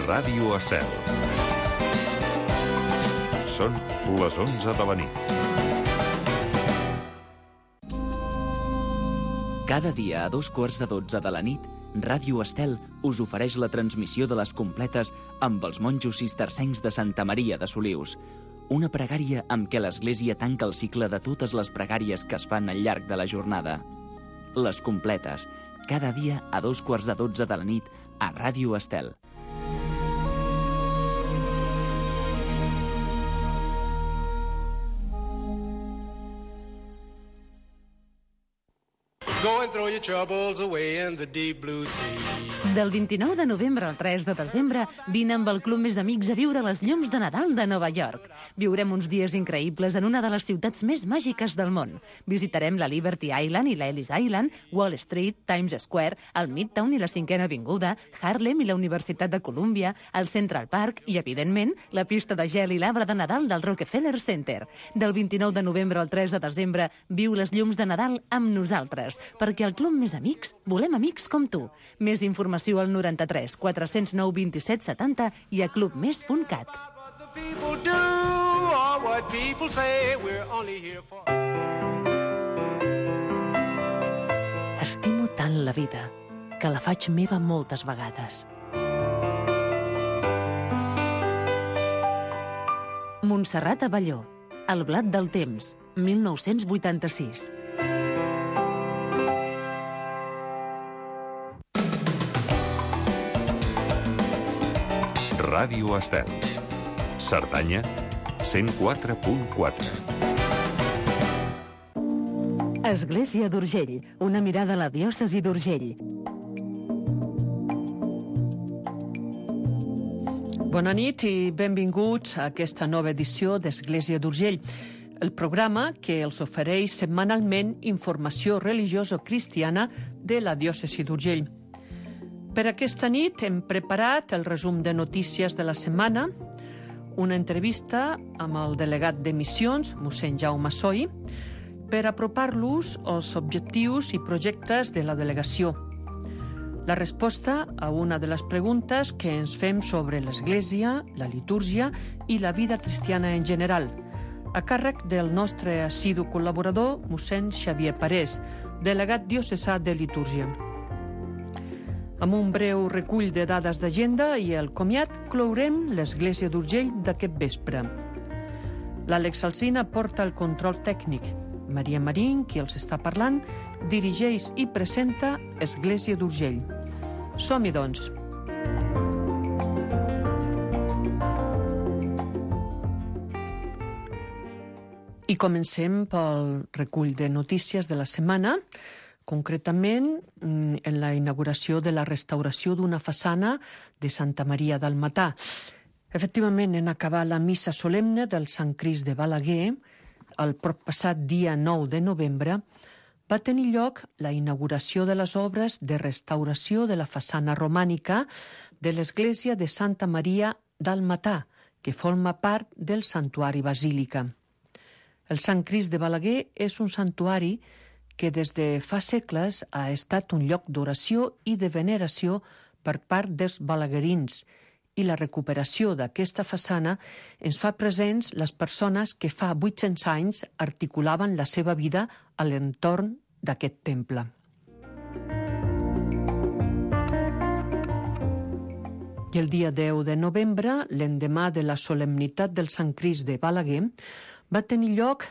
Ràdio Estel. Són les 11 de la nit. Cada dia a 2:15 de la nit, Ràdio Estel us ofereix la transmissió de les completes amb els monjos cistercencs de Santa Maria de Solius. Una pregària amb què l'Església tanca el cicle de totes les pregàries que es fan al llarg de la jornada. Les completes, cada dia a 2:15 de la nit a Ràdio Estel. Go and throw your troubles away in the deep blue sea. Del 29 de novembre al 3 de desembre, vine amb el Club Més Amics a viure les llums de Nadal de Nova York. Viurem uns dies increïbles en una de les ciutats més màgiques del món. Visitarem la Liberty Island i la Ellis Island, Wall Street, Times Square, el Midtown i la 5ª Avinguda, Harlem i la Universitat de Colúmbia, el Central Park i, evidentment, la pista de gel i l'arbre de Nadal del Rockefeller Center. Del 29 de novembre al 3 de desembre, viu les llums de Nadal amb nosaltres, perquè al Club Més Amics volem amics com tu. Més informació al 93 409 27 70 i a clubmes.cat. Estimo tant la vida que la faig meva moltes vegades. Montserrat Abelló, El blat del temps, 1986. Ràdio Estel. Cerdanya, 104.4. Església d'Urgell, una mirada a la diòcesi d'Urgell. Bona nit i benvinguts a aquesta nova edició d'Església d'Urgell, el programa que els ofereix setmanalment informació religioso-cristiana de la diòcesi d'Urgell. Per aquesta nit hem preparat el resum de notícies de la setmana, una entrevista amb el delegat de missions, mossèn Jaume Soi, per apropar-los als objectius i projectes de la delegació. La resposta a una de les preguntes que ens fem sobre l'Església, la litúrgia i la vida cristiana en general, a càrrec del nostre assidu col·laborador, mossèn Xavier Parés, delegat diocesà de litúrgia. Amb un breu recull de dades d'agenda i el comiat, clourem l'Església d'Urgell d'aquest vespre. L'Àlex Alsina porta el control tècnic. Maria Marín, qui els està parlant, dirigeix i presenta Església d'Urgell. Som-hi, doncs. I comencem pel recull de notícies de la setmana, concretament en la inauguració de la restauració d'una façana de Santa Maria del Matà. Efectivament, en acabar la missa solemne del Sant Crist de Balaguer, el proppassat dia 9 de novembre, va tenir lloc la inauguració de les obres de restauració de la façana romànica de l'església de Santa Maria del Matà, que forma part del santuari basílica. El Sant Crist de Balaguer és un santuari que des de fa segles ha estat un lloc d'oració i de veneració per part dels balaguerins, i la recuperació d'aquesta façana ens fa presents les persones que fa 800 anys articulaven la seva vida a l'entorn d'aquest temple. I el dia 10 de novembre, l'endemà de la solemnitat del Sant Crist de Balaguer, va tenir lloc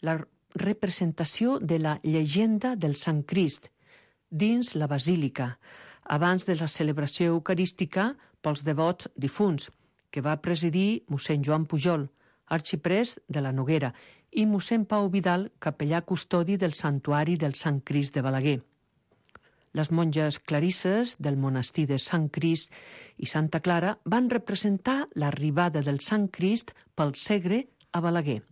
la representació de la llegenda del Sant Crist dins la basílica, abans de la celebració eucarística pels devots difunts, que va presidir mossèn Joan Pujol, arxiprès de la Noguera, i mossèn Pau Vidal, capellà custodi del santuari del Sant Crist de Balaguer. Les monges clarisses del monestir de Sant Crist i Santa Clara van representar l'arribada del Sant Crist pel Segre a Balaguer,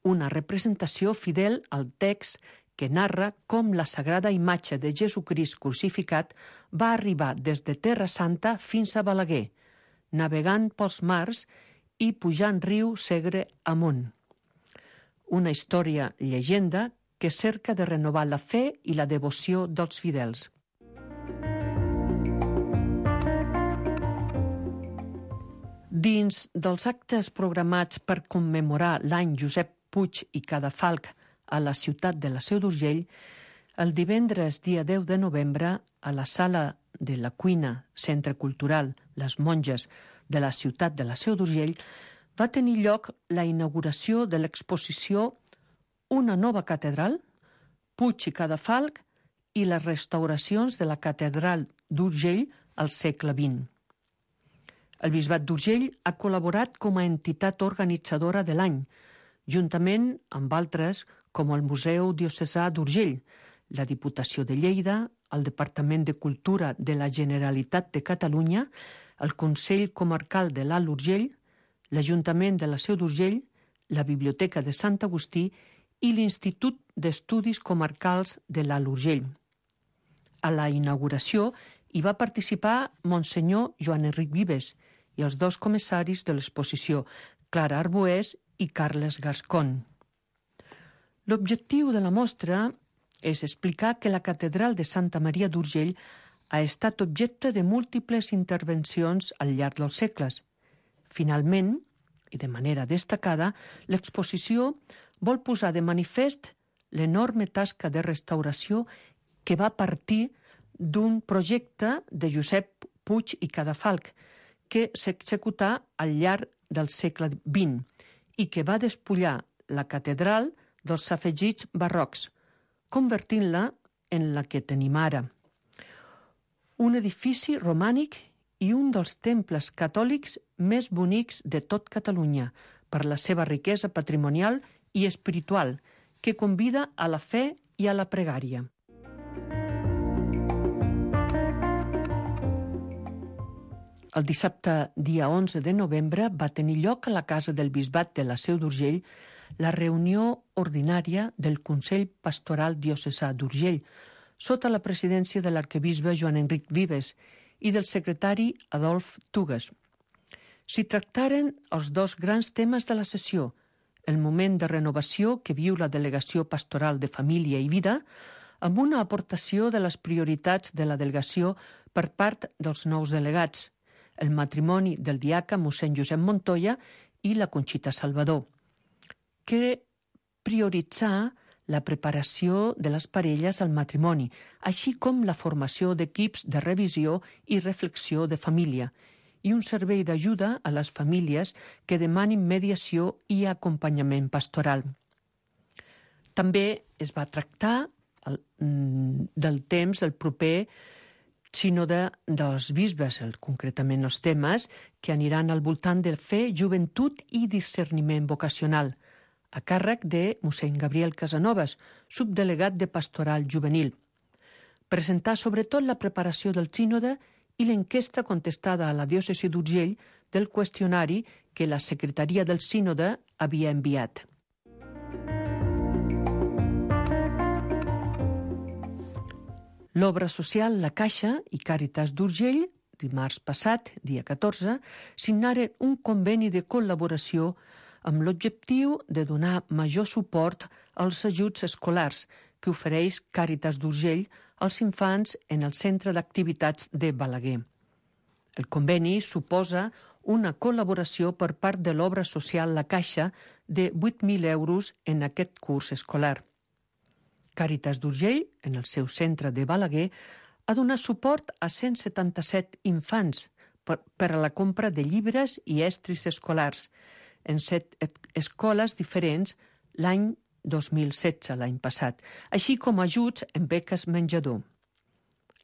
una representació fidel al text que narra com la sagrada imatge de Jesucrist crucificat va arribar des de Terra Santa fins a Balaguer, navegant pels mars i pujant riu Segre amunt. Una història llegenda que cerca de renovar la fe i la devoció dels fidels. Dins dels actes programats per commemorar l'any Josep Puig i Cadafalch a la ciutat de la Seu d'Urgell, el divendres dia 10 de novembre, a la sala de la cuina Centre Cultural Les Monges de la ciutat de la Seu d'Urgell, va tenir lloc la inauguració de l'exposició Una nova catedral, Puig i Cadafalch i les restauracions de la catedral d'Urgell al segle XX. El Bisbat d'Urgell ha col·laborat com a entitat organitzadora de l'any, juntament amb altres com el Museu Diocesà d'Urgell, la Diputació de Lleida, el Departament de Cultura de la Generalitat de Catalunya, el Consell Comarcal de l'Alt Urgell, l'Ajuntament de la Seu d'Urgell, la Biblioteca de Sant Agustí i l'Institut d'Estudis Comarcals de l'Alt Urgell. A la inauguració hi va participar Monsenyor Joan Enric Vives i els dos comissaris de l'exposició, Clara Arbués i Carles Gascon. L'objectiu de la mostra és explicar que la catedral de Santa Maria d'Urgell ha estat objecte de múltiples intervencions al llarg dels segles. Finalment, i de manera destacada, l'exposició vol posar de manifest l'enorme tasca de restauració que va partir d'un projecte de Josep Puig i Cadafalch que s'executà al llarg del segle XX i que va despullar la catedral dels afegits barrocs, convertint-la en la que tenim ara. Un edifici romànic i un dels temples catòlics més bonics de tot Catalunya per la seva riquesa patrimonial i espiritual, que convida a la fe i a la pregària. El dissabte, dia 11 de novembre, va tenir lloc a la Casa del Bisbat de la Seu d'Urgell la reunió ordinària del Consell Pastoral Diocesà d'Urgell, sota la presidència de l'arquebisbe Joan Enric Vives i del secretari Adolf Tugues. S'hi tractaren els dos grans temes de la sessió, el moment de renovació que viu la Delegació Pastoral de Família i Vida, amb una aportació de les prioritats de la delegació per part dels nous delegats, el matrimoni del diaca mossèn Josep Montoya i la Conxita Salvador, que prioritzà la preparació de les parelles al matrimoni, així com la formació d'equips de revisió i reflexió de família, i un servei d'ajuda a les famílies que demanin mediació i acompanyament pastoral. També es va tractar del temps del proper sínode dels bisbes, concretament els temes que aniran al voltant de fe, joventut i discerniment vocacional, a càrrec de mossèn Gabriel Casanovas, subdelegat de Pastoral Juvenil. Presentar sobretot la preparació del sínode i l'enquesta contestada a la diòcesi d'Urgell del qüestionari que la secretaria del sínode havia enviat. L'obra social La Caixa i Càritas d'Urgell, dimarts passat, dia 14, signaren un conveni de col·laboració amb l'objectiu de donar major suport als ajuts escolars que ofereix Càritas d'Urgell als infants en el centre d'activitats de Balaguer. El conveni suposa una col·laboració per part de l'obra social La Caixa de 8.000 euros en aquest curs escolar. Càritas d'Urgell, en el seu centre de Balaguer, ha donat suport a 177 infants per a la compra de llibres i estris escolars en 7 escoles diferents l'any 2016, l'any passat, així com ajuts en beques menjador.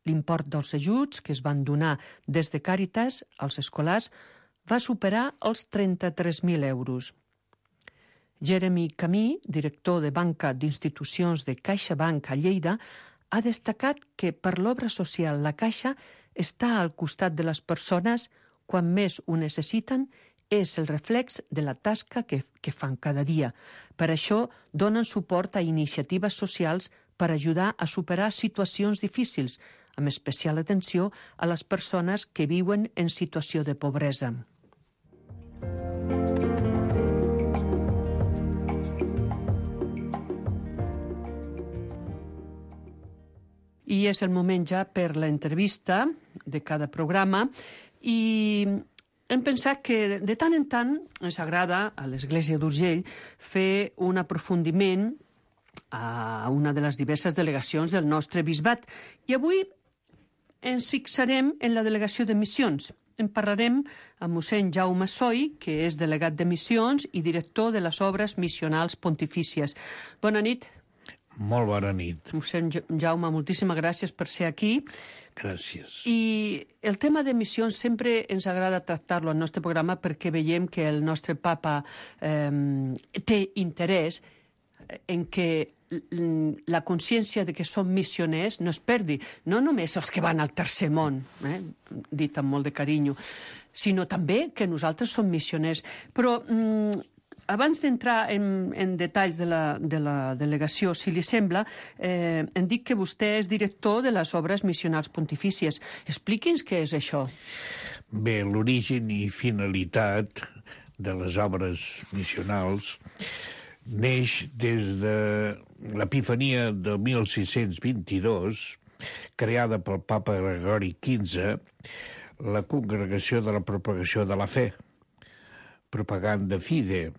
L'import dels ajuts que es van donar des de Càritas als escolars va superar els 33.000 euros. Jeremy Camí, director de banca d'institucions de CaixaBank a Lleida, ha destacat que per l'obra social La Caixa està al costat de les persones quan més ho necessiten, és el reflex de la tasca que fan cada dia. Per això donen suport a iniciatives socials per ajudar a superar situacions difícils, amb especial atenció a les persones que viuen en situació de pobresa. I és el moment ja per l'entrevista de cada programa i hem pensat que de tant en tant ens agrada a l'Església d'Urgell fer un aprofundiment a una de les diverses delegacions del nostre bisbat. I avui ens fixarem en la delegació de missions. En parlarem amb mossèn Jaume Soy, que és delegat de missions i director de les obres missionals pontifícies. Bona nit. Molt bona nit. Mossèn Jaume, moltíssimes gràcies per ser aquí. Gràcies. I el tema de missions sempre ens agrada tractar-lo al nostre programa perquè veiem que el nostre papa té interès en que la consciència de que som missioners no es perdi, no només els que van al tercer món, dit amb molt de carinyo, sinó també que nosaltres som missioners. Però abans d'entrar en detalls de la delegació, si li sembla, em dic que vostè és director de les obres missionals pontifícies. Expliqui'ns què és això. Bé, l'origen i finalitat de les obres missionals neix des de l'Epifania del 1622, creada pel papa Gregori XV, la Congregació de la Propagació de la Fe, Propaganda Fide,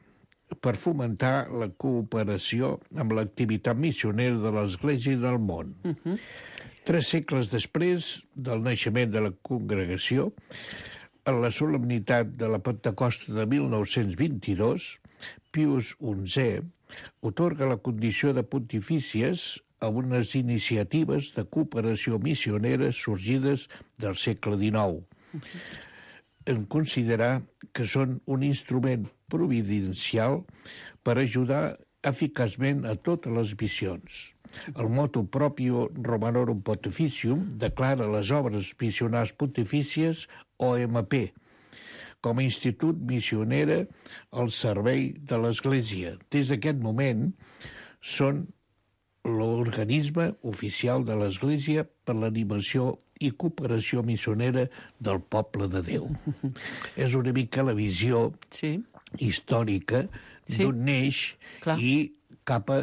per fomentar la cooperació amb l'activitat missionera de l'Església i del món. 3 segles després del naixement de la congregació, en la solemnitat de la Pentecosta de 1922, Pius XI otorga la condició de pontifícies a unes iniciatives de cooperació missionera sorgides del segle XIX, en considerar que són un instrument providencial per ajudar eficaçment a totes les missions. El motu proprio Romanorum Pontificium declara les obres missionals pontifícies OMP com a institut missionera al servei de l'Església. Des d'aquest moment són l'organisme oficial de l'Església per l'animació i cooperació missionera del poble de Déu. És una mica la visió històrica d'on neix i cap a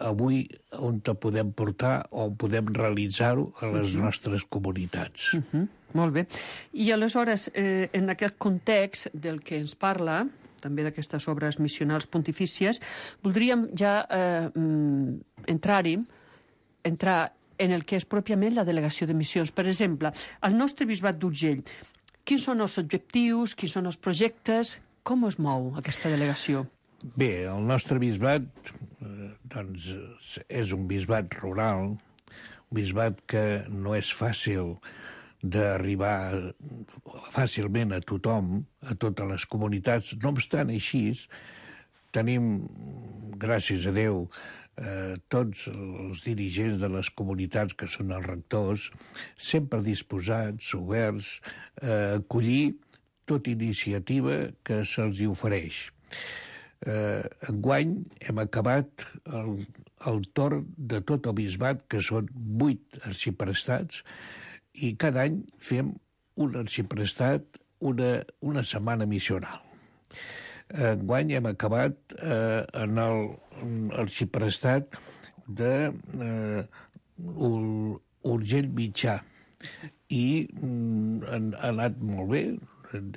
avui on te podem portar o podem realitzar-ho a les nostres comunitats. Molt bé. I aleshores, en aquest context del que ens parla, també d'aquestes obres missionals pontifícies, voldríem ja entrar en el que és pròpiament la delegació de missions. Per exemple, al nostre bisbat d'Urgell, quins són els objectius, quins són els projectes, com es mou aquesta delegació? Bé, el nostre bisbat doncs, és un bisbat rural, un bisbat que no és fàcil d'arribar fàcilment a tothom, a totes les comunitats. No obstant així, tenim, gràcies a Déu, tots els dirigents de les comunitats que són els rectors, sempre disposats, oberts, a acollir tota iniciativa que se'ls ofereix. Enguany hem acabat el torn de tot el bisbat, que són 8 arxiprestats, i cada any fem un arxiprestat una setmana missional. Enguany hem acabat en l'arxiprestat d'Urgell Mitjà i ha anat molt bé.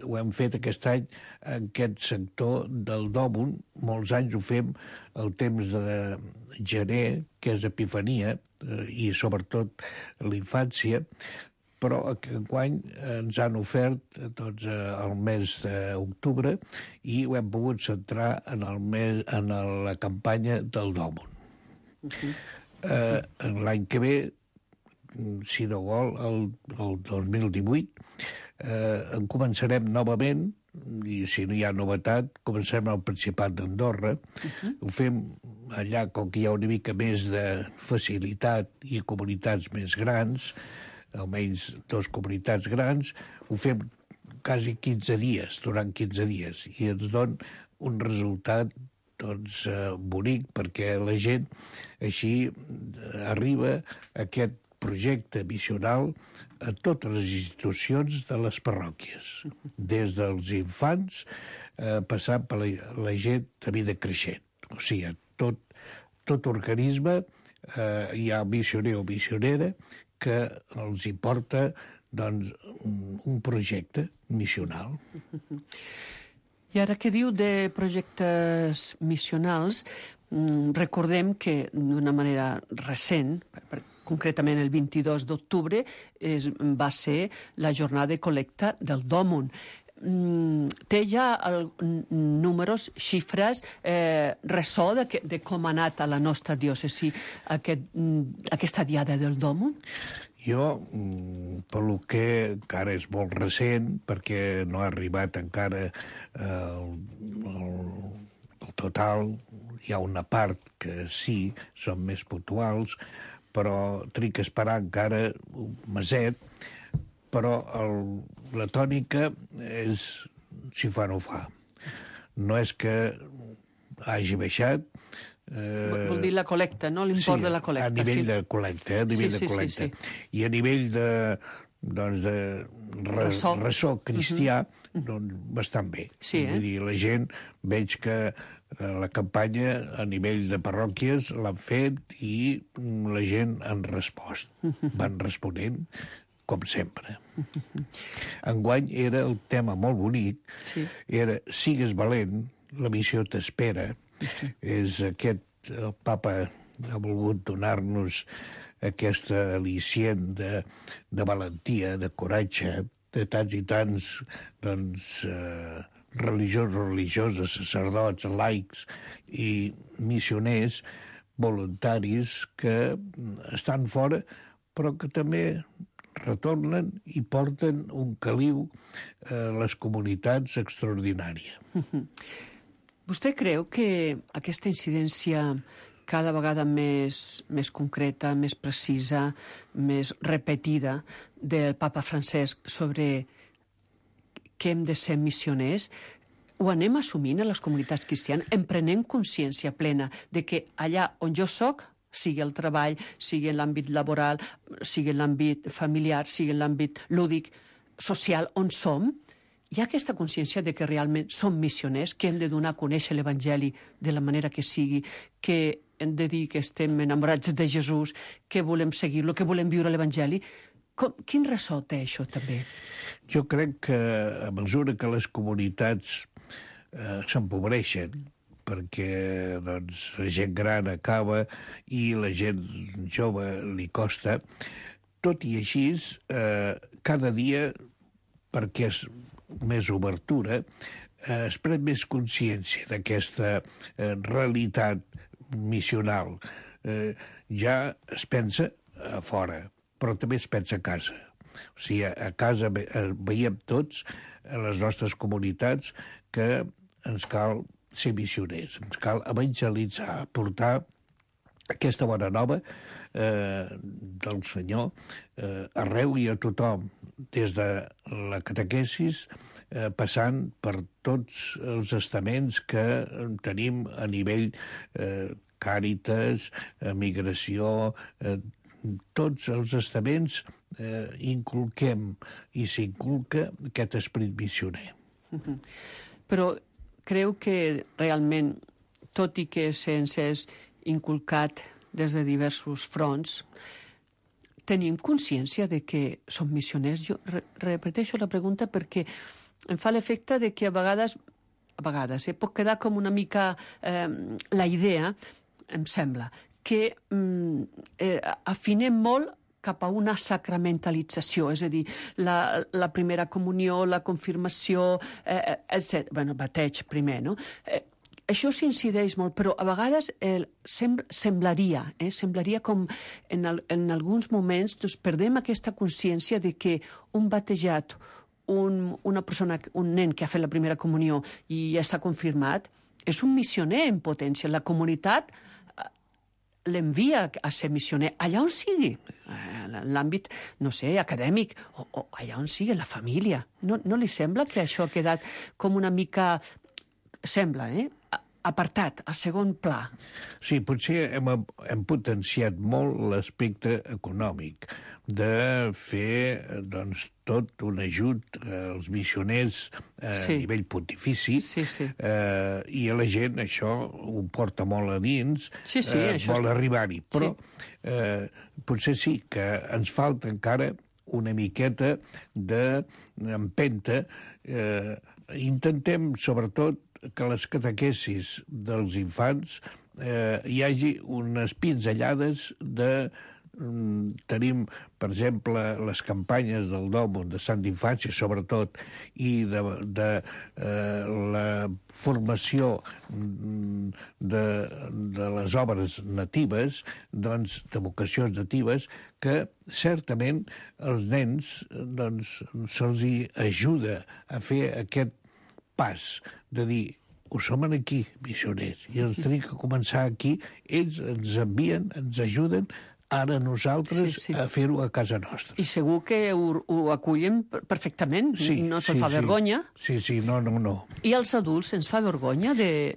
Ho hem fet aquest any en aquest sector del Dòmon. Molts anys ho fem el temps de gener, que és Epifania, i sobretot l'infància, però enguany ens han ofert doncs, el mes d'octubre i ho hem pogut centrar en la campanya del Dòmon. L'any que ve, si no vol, el 2018, en començarem novament, i si no hi ha novetat, comencem al Principat d'Andorra. Ho fem allà, com que hi ha una mica més de facilitat i comunitats més grans, almenys 2 comunitats grans, ho fem quasi 15 dies, durant 15 dies, i ens dona un resultat doncs, bonic, perquè la gent així arriba a aquest projecte missional a totes les institucions de les parròquies, des dels infants passant per la gent de vida creixent. O sigui, tot organisme hi ha missioner o missionera que els hi porta doncs, un projecte missional. I ara que diu de projectes missionals, recordem que d'una manera recent, concretament el 22 d'octubre, va ser la jornada de col·lecta del Dòmun. Té ja números, xifres, ressò de com ha anat a la nostra diòcesi aquesta diada del Dòmun? Jo, pel que encara és molt recent, perquè no ha arribat encara el total, hi ha una part que sí, són més puntuals, però tric a esperar encara un meset, però la tònica és si fa o no fa. No és que hagi baixat. Vol dir la col·lecta, no? L'import de la col·lecta. A nivell de col·lecta, Sí. I a nivell de ressò cristià, doncs bastant bé. Sí, Vull dir, la gent, veig que la campanya a nivell de parròquies l'han fet i la gent han respost. Van responent, com sempre. Enguany era el tema molt bonic, era sigues valent, la missió t'espera. És aquest, el papa ha volgut donar-nos aquesta al·licient de valentia, de coratge, de tants i tants, doncs, religioses, sacerdots, laics i missioners voluntaris que estan fora, però que també retornen i porten un caliu a les comunitats extraordinària. Vostè creu que aquesta incidència cada vegada més concreta, més precisa, més repetida del papa Francesc sobre que hem de ser missioners, ho anem assumint a les comunitats cristianes, en prenent consciència plena de que allà on jo soc, sigui el treball, sigui en l'àmbit laboral, sigui en l'àmbit familiar, sigui en l'àmbit lúdic, social, on som, hi ha aquesta consciència de que realment som missioners, que hem de donar a conèixer l'Evangeli de la manera que sigui, que hem de dir que estem enamorats de Jesús, que volem seguir-lo, que volem viure l'Evangeli. Quin ressò té això, també? Jo crec que a mesura que les comunitats s'empobreixen, perquè doncs, la gent gran acaba i la gent jove li costa, tot i així, cada dia, perquè és més obertura, es pren més consciència d'aquesta realitat missional. Ja es pensa a fora, però també es pensa a casa. O sigui, a casa veiem tots, a les nostres comunitats, que ens cal ser missioners, ens cal evangelitzar, portar aquesta bona nova del Senyor arreu i a tothom, des de la catequesis, passant per tots els estaments que tenim a nivell Càritas, migració, tots els estaments inculquem i s'inculca aquest esperit missioner. Però creu que realment, tot i que se'ns és inculcat des de diversos fronts, tenim consciència de que som missioners? Jo repeteixo la pregunta perquè em fa l'efecte de que a vegades pot quedar com una mica la idea, em sembla, que afinem molt cap a una sacramentalització, és a dir, la primera comunió, la confirmació, etc. Bueno, bateig primer, no? Això s'incideix molt, però a vegades semblaria com en alguns moments doncs, perdem aquesta consciència de que un batejat, una persona, un nen que ha fet la primera comunió i ja està confirmat, és un missioner en potència. La comunitat l'envia a ser missioner allà on sigui, en l'àmbit, no sé, acadèmic, o allà on sigui, la família. No li sembla que això ha quedat com una mica, sembla, apartat, a segon pla? Sí, potser hem potenciat molt l'aspecte econòmic de fer doncs, tot un ajut als missioners a nivell pontifici, i a la gent això ho porta molt a dins, vol arribar-hi. Però potser sí que ens falta encara una miqueta d'empenta. Intentem, sobretot, que les catequesis dels infants hi hagi unes pinzellades de... Tenim, per exemple, les campanyes del Dòmum de Sant d'Infància, sobretot, i de la formació de les obres natives, doncs, de vocacions natives, que certament els nens se'ls ajuda a fer aquest pas de dir: ho som aquí, missioners, i els tenim que començar aquí. Ells ens envien, ens ajuden, ara nosaltres a fer-ho a casa nostra. I segur que ho acullen perfectament, no se'ls fa vergonya. Sí, no. I als adults ens fa vergonya de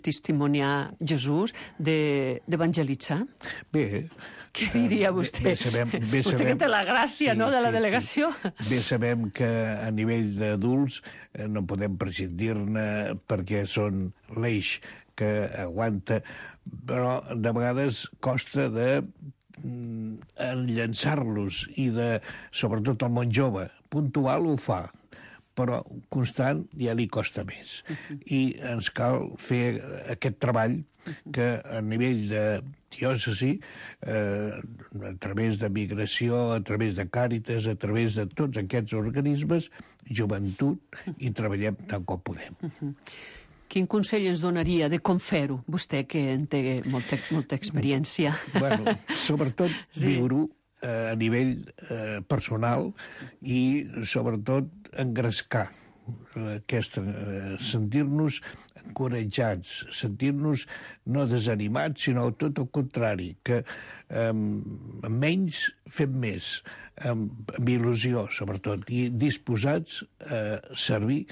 testimoniar Jesús, d'evangelitzar? Bé... Què diria vostè? Vostè que té la gràcia de la delegació. Bé sabem que a nivell d'adults no podem prescindir-ne perquè són l'eix que aguanta, però de vegades costa de enllançar-los i sobretot el món jove. Puntual ho fa, però constant ja li costa més. I ens cal fer aquest treball que a nivell de diòcesi, a través de migració, a través de Càritas, a través de tots aquests organismes, joventut, i treballem tant com podem. Quin consell ens donaria de com fer-ho? Vostè, que en té molta experiència. Bueno, sobretot viure-ho a nivell personal i, sobretot, engrescar sentir-nos encoratjats, sentir-nos no desanimats, sinó tot el contrari, que amb menys fem més, amb il·lusió, sobretot, i disposats a servir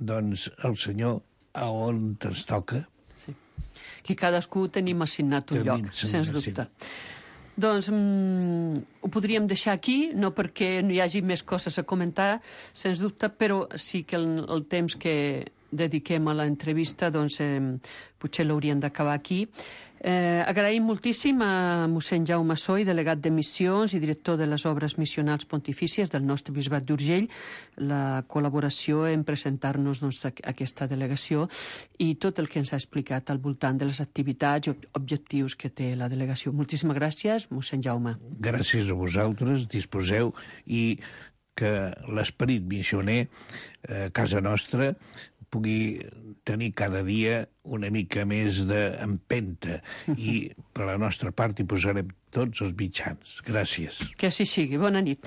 el Senyor a on ens toca. Sí. Que cadascú tenim assignat un lloc, sens dubte. Doncs ho podríem deixar aquí, no perquè no hi hagi més coses a comentar, sens dubte, però sí que el temps que dediquem a l'entrevista, doncs potser l'hauríem d'acabar aquí. Agraïm moltíssim a mossèn Jaume Soy, delegat de missions i director de les obres missionals pontifícies del nostre bisbat d'Urgell, la col·laboració en presentar-nos aquesta delegació i tot el que ens ha explicat al voltant de les activitats i objectius que té la delegació. Moltíssimes gràcies, mossèn Jaume. Gràcies a vosaltres, disposeu, i que l'esperit missioner a casa nostra pugui tenir cada dia una mica més d'empenta, i per la nostra part hi posarem tots els mitjans. Gràcies. Que així sigui. Bona nit.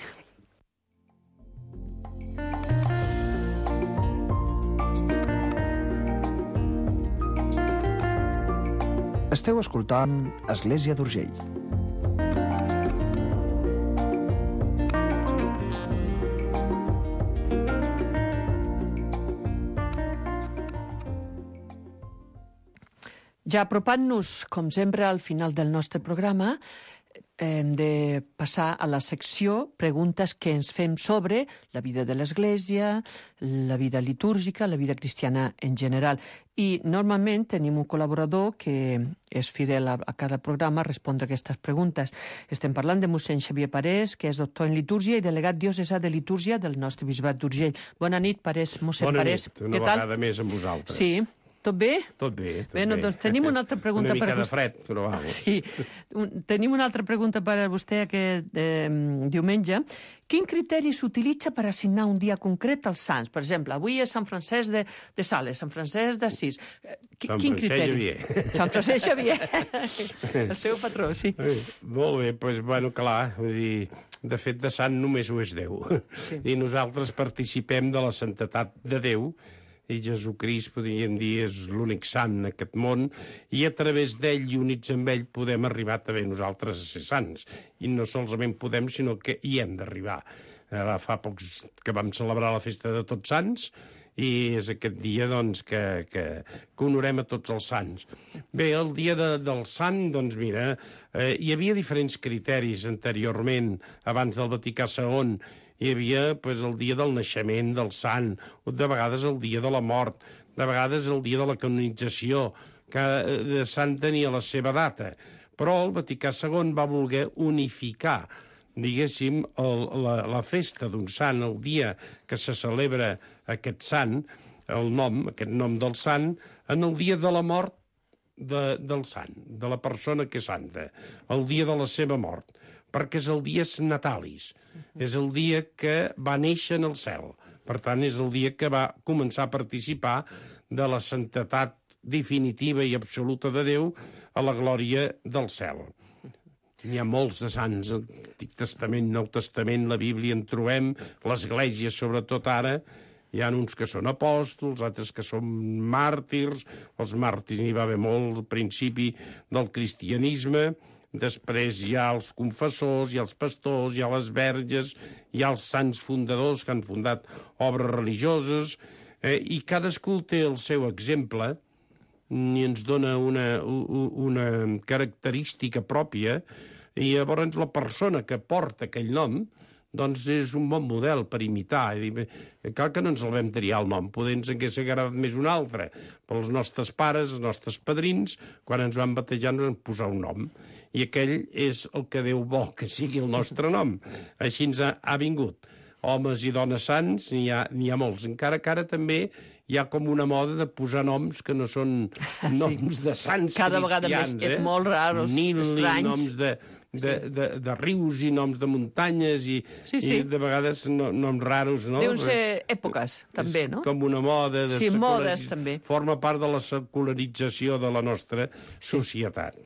Esteu escoltant Església d'Urgell. Ja apropant-nos, com sempre, al final del nostre programa, hem de passar a la secció preguntes que ens fem sobre la vida de l'Església, la vida litúrgica, la vida cristiana en general. I normalment tenim un col·laborador que és fidel a cada programa a respondre aquestes preguntes. Estem parlant de mossèn Xavier Parés, que és doctor en litúrgia i delegat diocesà de litúrgia del nostre bisbat d'Urgell. Bona nit, Parés, mossèn Parés. Bona nit, una vegada més amb vosaltres. Sí. Tot bé? Tot bé. Bé, doncs tenim una altra pregunta per vostè. Una mica de fred, però vamos. Sí. Tenim una altra pregunta per a vostè aquest diumenge. Quin criteri s'utilitza per assignar un dia concret als sants? Per exemple, avui és Sant Francesc de Sales, Sant Francesc d'Assís. Quin criteri? Sant Francesc Xavier. El seu patró, sí. Molt bé, doncs, bueno, clar, vull dir, de fet, de sant només ho és Déu. Sí. I nosaltres participem de la santetat de Déu, i Jesucrist, podríem dir, és l'únic sant en aquest món, i a través d'ell i units amb ell podem arribar també nosaltres a ser sants. I no solament podem, sinó que hi hem d'arribar. Fa pocs que vam celebrar la festa de Tots Sants, i és aquest dia, doncs, que honorem a tots els sants. Bé, el dia del sant, doncs, mira, hi havia diferents criteris anteriorment, abans del Vaticà II. Hi havia el dia del naixement del sant, de vegades el dia de la mort, de vegades el dia de la canonització. Cada sant tenia la seva data, però el Vaticà II va voler unificar diguéssim, la festa d'un sant, el dia que se celebra aquest sant, aquest nom del sant, en el dia de la mort del sant, de la persona que és santa, el dia de la seva mort, perquè és el dia natalis, és el dia que va néixer en el cel. Per tant, és el dia que va començar a participar de la santetat definitiva i absoluta de Déu a la glòria del cel. N'hi ha molts de sants, Antic Testament, Nou Testament, la Bíblia en trobem, l'Església, sobretot ara, hi ha uns que són apòstols, altres que són màrtirs, els màrtirs n'hi va haver molt al principi del cristianisme, després hi ha els confessors, hi ha els pastors, hi ha les verges, hi ha els sants fundadors que han fundat obres religioses, i cadascú té el seu exemple i ens dona una característica pròpia, i llavors la persona que porta aquell nom doncs és un bon model per imitar. Cal que no ens el vam triar el nom, poder ens hagués agradat més un altre, però els nostres pares, els nostres padrins, quan ens van batejar ens van posar un nom, i aquell és el que Déu vol que sigui el nostre nom. Així ens ha vingut. Homes i dones sants n'hi ha molts, encara que ara també hi ha com una moda de posar noms que no són noms de sants cada cristians. Vegada més molt raros, estranys. Noms de rius i noms de muntanyes i de vegades noms raros, no? Deuen ser èpoques, també, no? Com una moda. Modes, també. Forma part de la secularització de la nostra societat.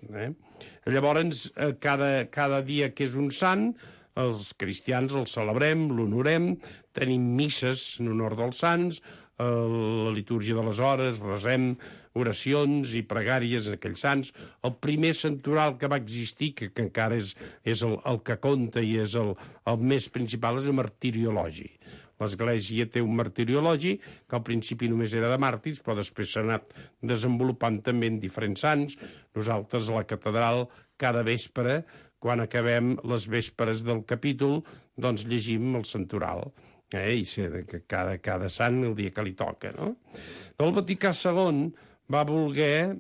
Llavors, cada dia que és un sant, els cristians el celebrem, l'honorem, tenim misses en honor dels sants, la litúrgia de les hores, resem oracions i pregàries a aquells sants. El primer santoral que va existir, que encara és el que compta i és el més principal, és el martiriologi. L'Església té un martiriologi que al principi només era de màrtirs, però després s'ha anat desenvolupant també en diferents sants. Nosaltres a la catedral cada vespre, quan acabem les vésperes del capítol, doncs llegim el santoral. I cada sant el dia que li toca, no? El Vaticà II va voler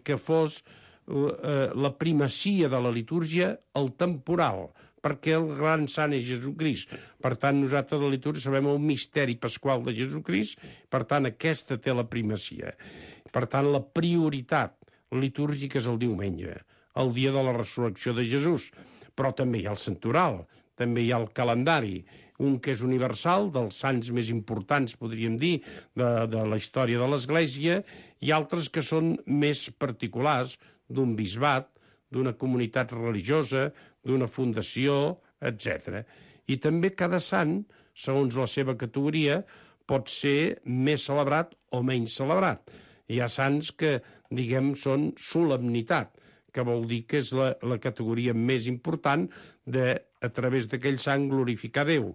que fos la primacia de la litúrgia el temporal, perquè el gran sant és Jesucrist. Per tant, nosaltres a la litúrgia sabem el misteri pasqual de Jesucrist, per tant, aquesta té la primacia. Per tant, la prioritat litúrgica és el diumenge, el dia de la resurrecció de Jesús. Però també hi ha el santoral, també hi ha el calendari, un que és universal, dels sants més importants, podríem dir, de la història de l'Església, i altres que són més particulars, d'un bisbat, d'una comunitat religiosa, d'una fundació, etc. I també cada sant, segons la seva categoria, pot ser més celebrat o menys celebrat. Hi ha sants que, diguem, són solemnitat, que vol dir que és la categoria més important a través d'aquell sant glorificar Déu.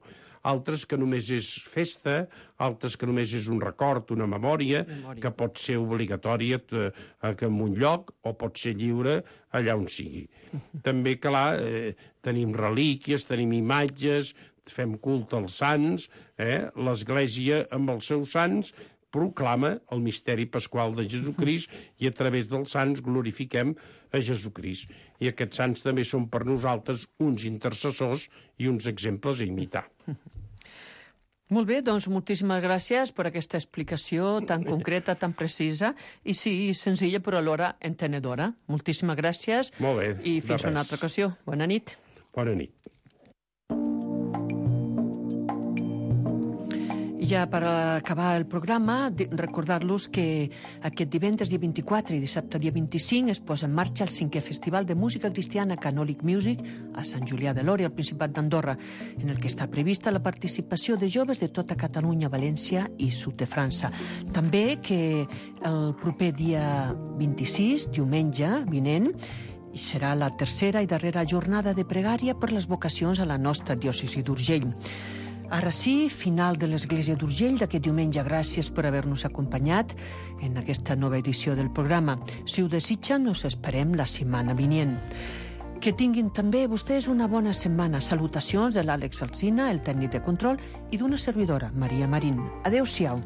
Altres que només és festa, altres que només és un record, una memòria, que pot ser obligatòria en un lloc o pot ser lliure allà on sigui. També, clar, tenim relíquies, tenim imatges, fem culte als sants, l'Església amb els seus sants proclama el misteri pasqual de Jesucrist i a través dels sants glorifiquem a Jesucrist. I aquests sants també són per nosaltres uns intercessors i uns exemples a imitar. Molt bé, doncs moltíssimes gràcies per aquesta explicació tan concreta, tan precisa i sí, senzilla però alhora entenedora. Moltíssimes gràcies. Molt bé, i fins una altra ocasió. Bona nit. Bona nit. Ja per acabar el programa, recordar-los que aquest divendres dia 24 i dissabte dia 25 es posa en marxa el 5è Festival de Música Cristiana Canòlic Music a Sant Julià de Lòria, al Principat d'Andorra, en el que està prevista la participació de joves de tota Catalunya, València i sud de França. També que el proper dia 26, diumenge vinent, serà la tercera i darrera jornada de pregària per les vocacions a la nostra diòcesi d'Urgell. Ara sí, final de l'Església d'Urgell d'aquest diumenge. Gràcies per haver-nos acompanyat en aquesta nova edició del programa. Si ho desitgen, us esperem la setmana vinent. Que tinguin també vostès una bona setmana. Salutacions de l'Àlex Alsina, el tècnic de control, i d'una servidora, Maria Marín. Adéu-siau.